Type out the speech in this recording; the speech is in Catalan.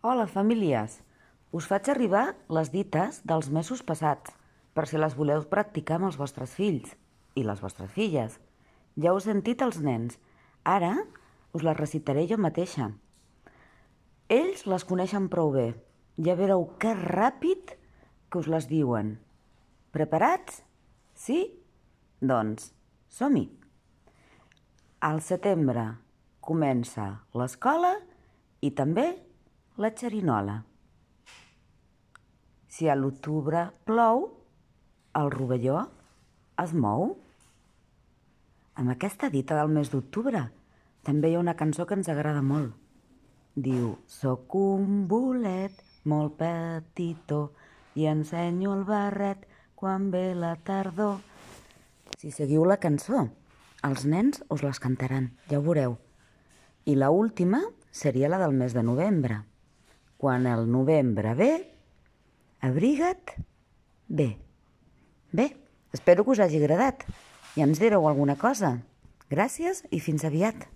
Hola, famílies! Us faig arribar les dites dels mesos passats, per si les voleu practicar amb els vostres fills i les vostres filles. Ja us he sentit els nens. Ara us les recitaré jo mateixa. Ells les coneixen prou bé. Ja veureu que ràpid que us les diuen. Preparats? Sí? Doncs, som-hi! Al setembre comença l'escola i també la xerinola. Si a l'octubre plou, el rovelló es mou. Amb aquesta dita del mes d'octubre també hi ha una cançó que ens agrada molt. Diu: soc un bolet molt petitó i ensenyo el barret quan ve la tardor. Si seguiu la cançó, els nens us les cantaran, ja ho veureu. I l'última seria la del mes de novembre. Quan el novembre ve, abriga't bé. Bé, espero que us hagi agradat i ens direu alguna cosa. Gràcies i fins aviat.